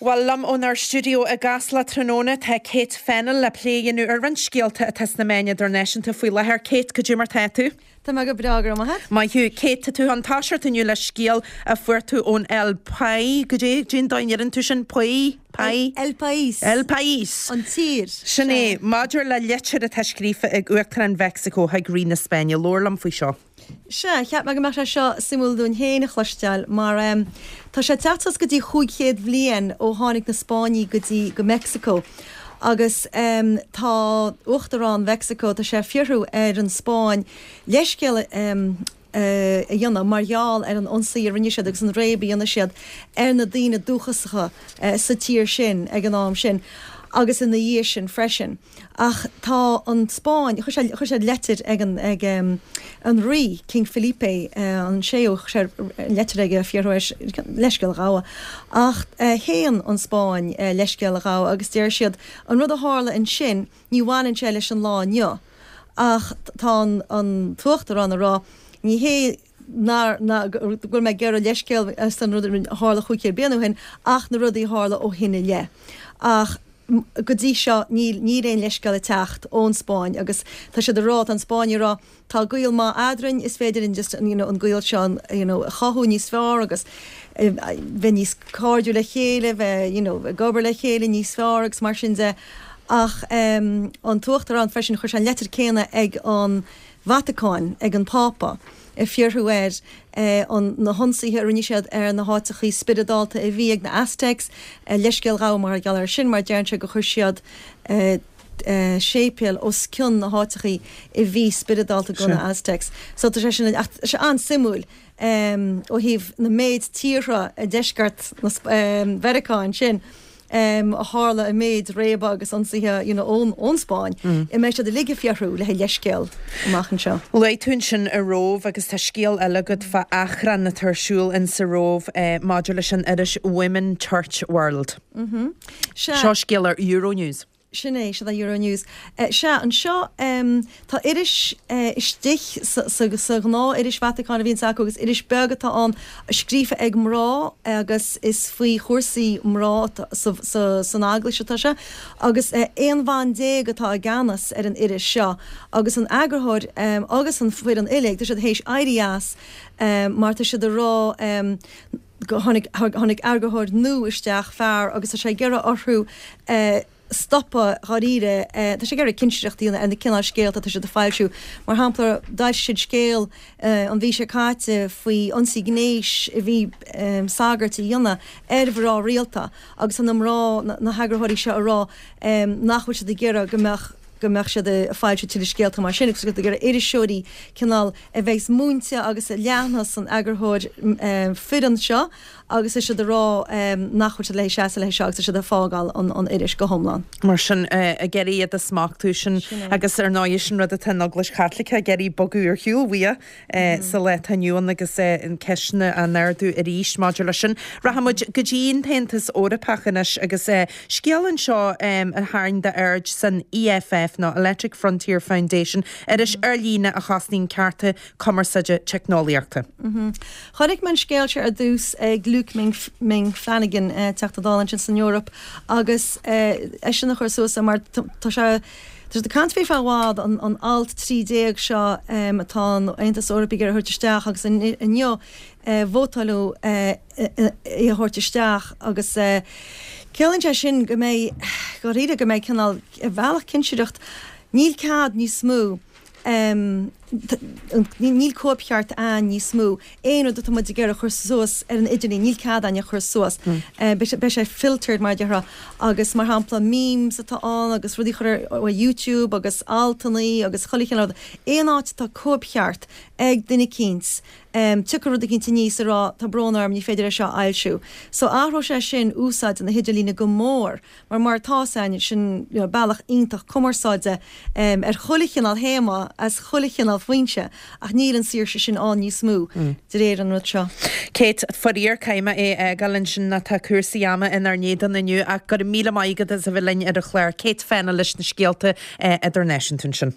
Bhuel, liom ónár stiúideo i gCasla tráthnóna tá Kate Fennell le plé a dhéanamh ar roinnt scéalta atá sna meáin idirnáisiúnta faoi láthair. Kate, cad é mar tá tú? Tá mé go breá, go raibh maith agat. Maith thú. Kate, tá tú chun toiseacht inniu le scéal a fuair tú ón El Pai, cad é, cén dóigh a ndeireann tú sin? Pai? Pai? El País. El País. An tír. Sin é. Maidir le litir atá scríofa ag Uachtarán Mheicsiceo chuig Rí na Spáinne. Labhair liom faoi seo. Sea, cheap mé go mbeadh sé seo suimiúil dúinn féin a chloisteáil mar tá sé ag teacht suas go dtí 500 bhliain ó tháinig na Spáinnigh go dtí go Meicsiceo agus tá Uachtarán Mheicsiceo, tá sé ag fiosrú ar an Spáinn leithscéal a dhéanamh mar gheall ar an ionsaí a rinne siad agus an réab a dhéanamh siad ar na daoine dúchasacha sa tír sin ag an am sin agus ina dhiaidh sin freisin. Ach tá an Spáinn, chuir sé, chuir siad leitir ag an, ag an Rí, King Felipe an séú, chuir sé leitir aige ag fiosrú air leithscéal a ghabháil. Ach shéan an Spáinn leithscéal a ghabháil agus deir siad an rud a tharla ansin, ní bhaineann sé leis an lá inniu. Ach tá an, an tUachtarán ag rá, ní hé nár, ná, go bhfuil mé ag iarraidh leithscéal as an rud a tharla 500 bliain ó shin ach na rudaí a tharla ó shin i leith. Ach. Go dtí seo níl níl aon leithscéal ag teacht ón Spáinn agus tá siad ag rá, tá an Spáinn ag rá, tá gaol maith eadrainn, is féidir linn just you know an gaol seo you know a chothú níos fearr agus bheith níos cairdiúil le chéile, bheith you know ag obair le chéile níos fearr agus mar sin de. Ach an tUachtarán freisin chuir sé an leitir céanna ag an Vatacáin, ag an Phápa. ag fiosrú air an na hionsaithe a rinne siad ar na háiteachaí spioradálta a bhí ag na Aztecs, leithscéal a ghabháil mar gheall air sin, mar deireann sé gur chuir siad séipéil os cionn na háiteachaí a bhí spioradálta do na Aztecs. So tá sé sin, ach tá sé an-suimiúil ó thaobh na méid tíortha i deisceart Mheiriceá ansin. a tharla an méid réabadh agus ionsaithe you know ón ón Spáinn, an mbeidh siad uilig ag fiosrú le haghaidh leithscéal amach anseo. Luaigh tú ansin an Róimh agus tá scéal eile agat fá achrann atá ar siúl in sa Róimh maidir leis an iris Women Church World. Sea. Seo scéal ar Euronews. Sin é, sin é Euronews. Sea, anseo tá iris istigh sa ghnáth-iris Vatacáin a bhíonns acu agus iris beag atá ann scríofa ag mná agus is faoi chúrsaí mná san Eaglais atá sé agus 11 bhan atá i gceannas ar an iris seo agus an eagarthóir agus an foireann uilig, tá siad théis éirí as mar tá siad ag rá go tháinig tháinig eagarthóir nua isteach, fear, agus tá sé ag iarraidh orthu stopadh dháiríre, tá sé ag iarraidh cinsireacht a dhéanamh ar na cineál scéalta atá siad ag foilsiú. Mar shampla, d'fhoilsigh siad scéal an mhí seo caite faoi ionsaí gnéis a bhí sagairt a dhéanamh ar mhná rialta agus tá na mná, na heagarthóirí seo ag rá nach bhfuil siad ag iarraidh go mbeadh go mbeadh siad ag foilsiú tuilleadh scéalta mar sin agus ag iarraidh iriseoirí cineál a bheas múinte agus a leanfas an eagarthóir fireann seo agus tá siad ag rá nach bhfuil siad le seasamh leis seo agus tá siad ag fágáil an iris go hiomlán. Mar sin, ag iarraidh iad a smachtú sin agus ar ndóigh sin rud atá an Eaglais Chaitliceach ag iarraidh bogadh ar shiúl uaidh sa lá atá inniu ann agus an ceisteanna á n-ardú arís maidir leis sin. Rachaidh muid go dtí an tAontas Eorpach anois agus scéal anseo a tharraing d'aird san EFF nó Electronic Frontier Foundation, iris ar líne a chosnaíonn cearta cumarsáide teicneolaíochta. Chonaic mé an scéal seo ar dtús ag Luke Ming Flanagan, Teachta Dála ansin san Eoraip, agus eisean a chuir suas é mar tá sé tá siad ag caint faoi fá i bhfad, an alt 13 seo atá an Aontas Eorpaigh ag iarraidh a thabhairt isteach agus inniu vótáileadh é a thabhairt isteach agus ciallaíonn sé sin go mbeidh, dháiríre, go mbeidh cineál, ar bhealach cinsireacht, níl cead níos mó. Níl cóipcheart ann níos mó. Aon rud atá muid ag iarraidh a chur suas ar an idirlíon, níl cead againn a chur suas. Beidh sé filtered, mar a déarfá. Agus mar shampla, memes atá ann agus rudaí a chur ar YouTube agus altannaí agus chuile chineál rud. Aon áit atá cóipcheart ag duine eicínt, tiocfaidh rud eicínt aníos ag rá tá brón orm, ní féidir é seo a fhoilsiú. So athróidh sé sin úsáid na hidirlíne go mór. Mar mar atá a fhios againn, sin you know bealach iontach cumarsáide ar chuile chineál théama as chuile chineál foinse ach níl an saoirse sin ann níos mó de réir an rud seo. Kate, faraor caithfidh mé é a fhágáil ansin nó tá cúrsaí ama inár n-éadan inniu ach go raibh míle maith agat as a bheith linn ar an chlár. Kate Fennell leis na scéalta idirnáisiúnta ansin.